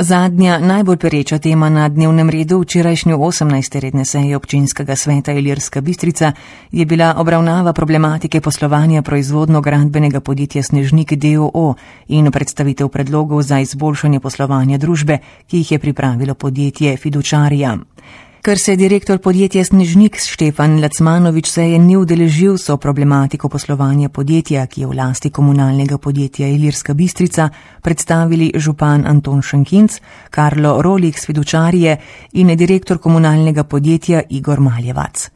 Zadnja, najbolj pereča tema na dnevnem redu včerajšnje 18. redne seje občinskega sveta Ilirska Bistrica je bila obravnava problematike poslovanja proizvodno-gradbenega podjetja Snežnik d.o.o. in predstavitev predlogov za izboljšanje poslovanja družbe, ki jih je pripravilo podjetje Fidučarija. Ker se direktor podjetja Snežnik Štefan Lacmanovič seje ni udeležil, so problematiko poslovanja podjetja, ki je v lasti komunalnega podjetja Ilirska Bistrica, predstavili župan Anton Šenkinc, Karlo Rolih s Fidučarije in direktor komunalnega podjetja Igor Maljevac.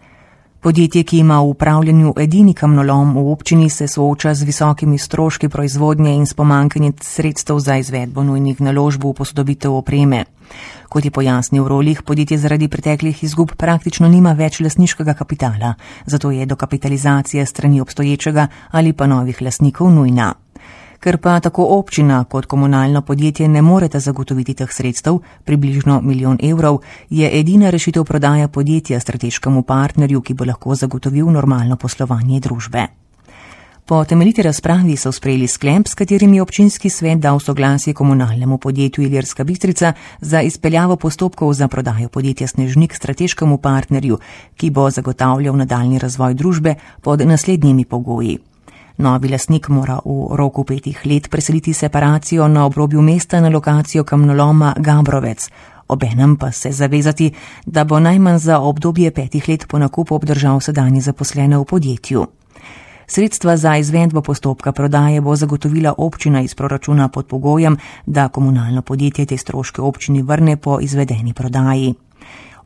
Podjetje, ki ima v upravljanju edini kamnolom v občini, se sooča z visokimi stroški proizvodnje in s pomanjkanjem sredstev za izvedbo nujnih naložb v posodobitev opreme. Kot je pojasnil Rolih, podjetje zaradi preteklih izgub praktično nima več lastniškega kapitala, zato je dokapitalizacija strani obstoječega ali pa novih lastnikov nujna. Ker pa tako občina kot komunalno podjetje ne moreta zagotoviti teh sredstev, približno 1 milijon evrov, je edina rešitev prodaja podjetja strateškemu partnerju, ki bo lahko zagotovil normalno poslovanje družbe. Po temeljiti razpravi so sprejeli sklep, s katerim je občinski svet dal soglasje komunalnemu podjetju Ilirska Bistrica za izpeljavo postopkov za prodajo podjetja Snežnik strateškemu partnerju, ki bo zagotavljal nadaljni razvoj družbe pod naslednjimi pogoji. Novi lastnik mora v roku 5 let preseliti separacijo na obrobju mesta na lokacijo kamnoloma Gabrovec, obenem pa se zavezati, da bo najmanj za obdobje 5 let po nakupu obdržal sedanje zaposlene v podjetju. Sredstva za izvedbo postopka prodaje bo zagotovila občina iz proračuna pod pogojem, da komunalno podjetje te stroške občini vrne po izvedeni prodaji.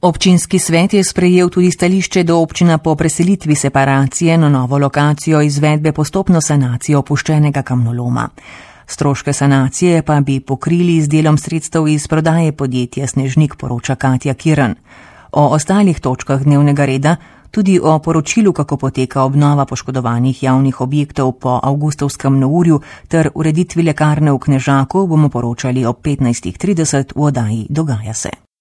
Občinski svet je sprejel tudi stališče, da občina po preselitvi separacije na novo lokacijo izvedbe postopno sanacijo opuščenega kamnoloma. Stroške sanacije pa bi pokrili z delom sredstev iz prodaje podjetja Snežnik, poroča Katja Kirn. O ostalih točkah dnevnega reda, tudi o poročilu, kako poteka obnova poškodovanih javnih objektov po avgustovskem neurju ter ureditvi lekarne v Knežaku, bomo poročali ob 15:30 v oddaji Dogaja se.